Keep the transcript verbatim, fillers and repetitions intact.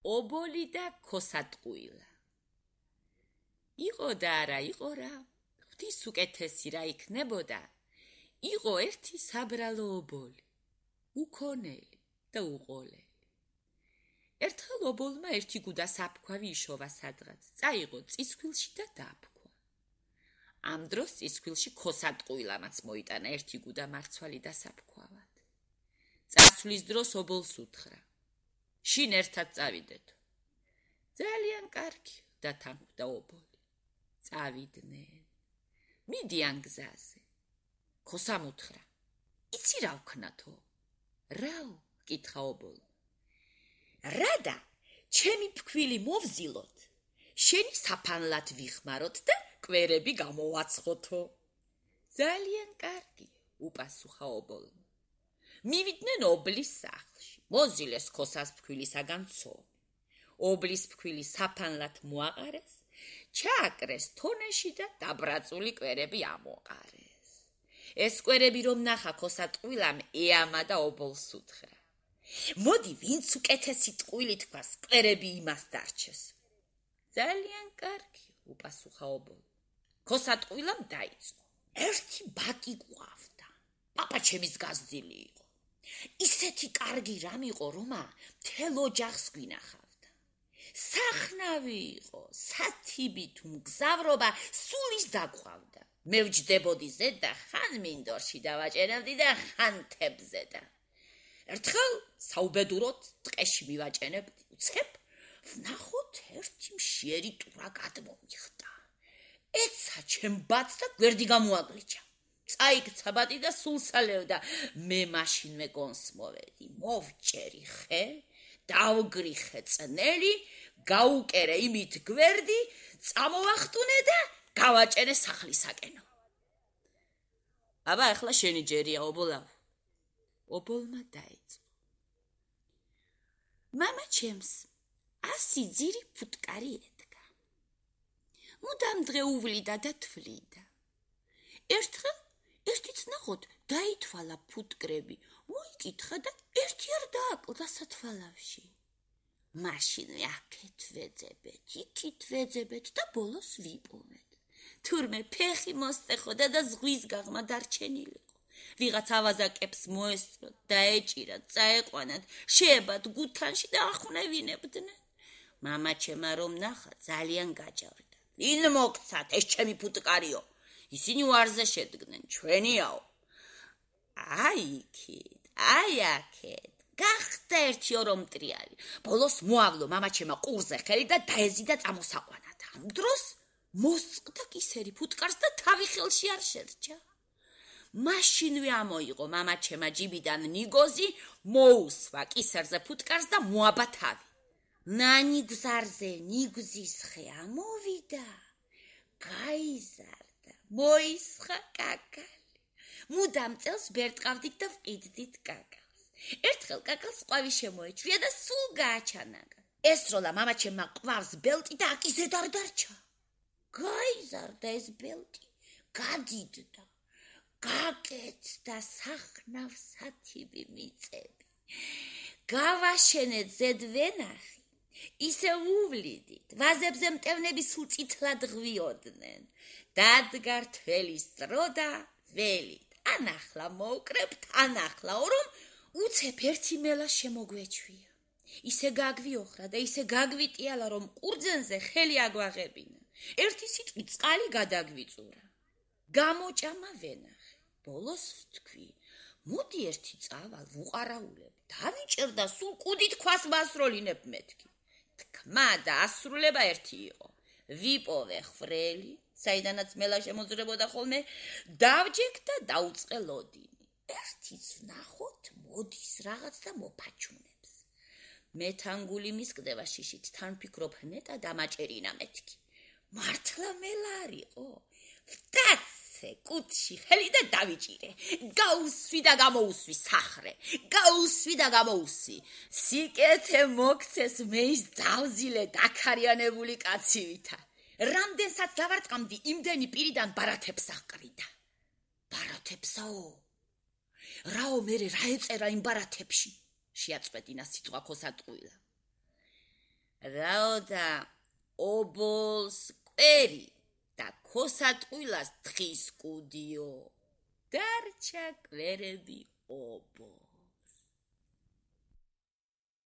ობოლი და ქოსატყუილა. იყო და არა იყო რა, ღვთის უკეთესი რა იქნებოდა, იყო ერთი საბრალო ობოლი, უქონელი და უყოლელი. ერთხელ ობოლმა ერთი გუდა საფქვავი იშოვა სადღაც, წაიღო წისქვილში და დააფქვა. ამ დროს წისქვილში ქოსატყუილამაც მოიტანა ერთი გუდა მარცვალი და საფქვავად. წასვლის დროს ობოლს უთხრა, შინ ერთად წავიდეთ. ძალიან კარგი, დათანხმდა ობოლი. წავიდნენ. მიდიან გზაზე. ქოსამ უთხრა, იცი რა ვქნათო? რაო? კითხა ობოლმა. რადა, ჩემი ფქვილი მოვზილოთ, შენი საფანლად ვიხმაროთ და კვერები გამოვაცხოთო. ძალიან კარგი, უპასუხა ობოლმა. მივიდნენ ობლის სახლში, მოზილეს ქოსას ფქვილისაგან ცომი. ობლის ფქვილი საფანლად მოაყარეს, ჩააკრეს თონეში და დაბრაწული კვერები ამოყარეს. ეს კვერები რომ ნახა ქოსატყუილამ ეამა და ობოლს უთხრა. მოდი, ვინც უკეთესი ტყუილი თქვას, კვერები იმას დარჩეს. ძალიან კარგი, უპასუხა ობოლმა. ქოსატყუილამ დაიწყო. ერთი ბატი გვავდა. პაპა ჩემის გაზრდილი იყო. ისეთი კარგი რამ იყო, რომა მთელ ოჯახს გვინახავდა. სახნავი იყო, სათიბი თუ მგზავრობა სულის დაგვავდა. მე ვჯდებოდი ზედ და ხან მინდორში დავაჭერებდი და ხან თებზე და ერთხელ საუბედუროდ ტყეში მივაჭენებდი, უცებ ვნახოთ ერთი მშიერი ტურა გადმომიხტა. ეცა ჩემ ბატს და გვერდი გამოაგლიჩა. წაიქცა ბატი და სულსალევდა. მე მაშინვე გონს მოვედი, მოვჭერი ხე, დავგრიხე წნელი, გაუკერე იმით გვერდი, წამოვახტუნე და გავაჭერე სახლისაკენო. აბა, ახლა შენი ჯერია, ობოლავ. ობოლმა დაიწყო. მამა ჩემს ასი ძირი ფუტკარი ედგა. მუდამ დღეუვლიდა და თვლიდა. ერთხელ ერთიც ნახოთ დაითვალა ფუტკრები, მოიკითხა და ერთი არ დააკლდა სათვალავში. მაშინვე აქეთ ვეძებეთ, იქით ვეძებეთ და ბოლოს ვიპოვეთ. თურმე ფეხი მოსტეხოდა და ზღვის გაღმა დარჩენილიყო. ვიღაც ავაზაკებს მოესწროთ, დაეჭირათ, წაეყვანათ, შეებათ გუთანში და ახვნევინებდნენ. მამა ჩემა რომ ნახა, ძალიან გაჯავრდა. ვინ მოგცათ, ეს ჩემი ფუტკარიო? ისინი ვარზე შედგნენ, ჩვენიაო. აი იქით, აი აქეთ, გახდა ერთი ორომტრიალი. ბოლოს მოავლო მამა ჩემა ყურზე ხელი და დაეზიდა წამოსაყვანად. ამ დროს მოსწყდა კისერი ფუტკარს და თავი ხელში არ შერჩა. მაშინვე ამოიღო მამა ჩემა ჯიბიდან ნიგოზი, მოუსვა კისერზე ფუტკარს და მოაბა თავი. ნანიგზარზე ნიგზის ხე ამოვიდა, გაიზარდა, მოისხა კაკალი. მუდამ წელს ბერტყავდით და ვყიდდით კაკალს. ერთხელ კაკალს ყვავი შემოეჩვია და სულ გააჩანაგა. ესროლა მამა ჩემმა ყვავს ბელტი და აკისედ არ დარჩა. გაიზარდა ეს ბელტი, გადიდდა. გაკეთდა სახნავ სათიბი მიწები. გავაშენეთ ზედ ვენახი, ისე უვლიდით, ვაზებზე მტევნები სულ წითლად ღვიოდნენ. დადგა რთველის დრო და ველით. ანახლა მოვკრებთ, ანახლა რომ უცებ ერთი მელა შემოგვეჩვია. ისე გაგვიოხრა და ისე გაგვიტიალა, რომ ყურძენზე ხელი აგვაღებინა. ერთი სიტყვი წყალი გადაგვიწურა. გამოჭამა ვენახი. ბოლოს ვთქვი, მოდი ერთი წავალ, ვუყარაულებ, დავიჭერდა სულ კუდით ქვას მასროლინებ მეთქი. თქმა და ასრულება ერთი იყო. ვიპოვე ხრელი, საიდანაც მელა შემოძრებოდა ხოლმე, დავჯექ და დაუწყე ლოდინი. ერთიც ვნახოთ, მოდის რაღაც და მოფაჩუნებს. მე თანგული მისკდება შიშით, თან ფიქრობ ნეტა დამაჭერინა მეთქი. მართლა მელა არისო? ვტაცე კუთში ხელი და დავიჭირე. გაუსვი და გამოუსვი სახრე. გაუსვი და გამოუსვი. სიკეთე მოგცეს მე ის დავზილე დაქარიანებული კაცივითა. რამდენსაც დავარტყამდი, იმდენი პირიდან ბარათებს აყრიდა. ბარათებსაო? რაო მერე რა ეწერა იმ ბარათებში? შეაწყვეტინა სიტყვა ქოსატყუილა. რაოდა ობოლს კვერი და ქოსატყვილას თხის კუდიო. დარჩა კვერები ობო.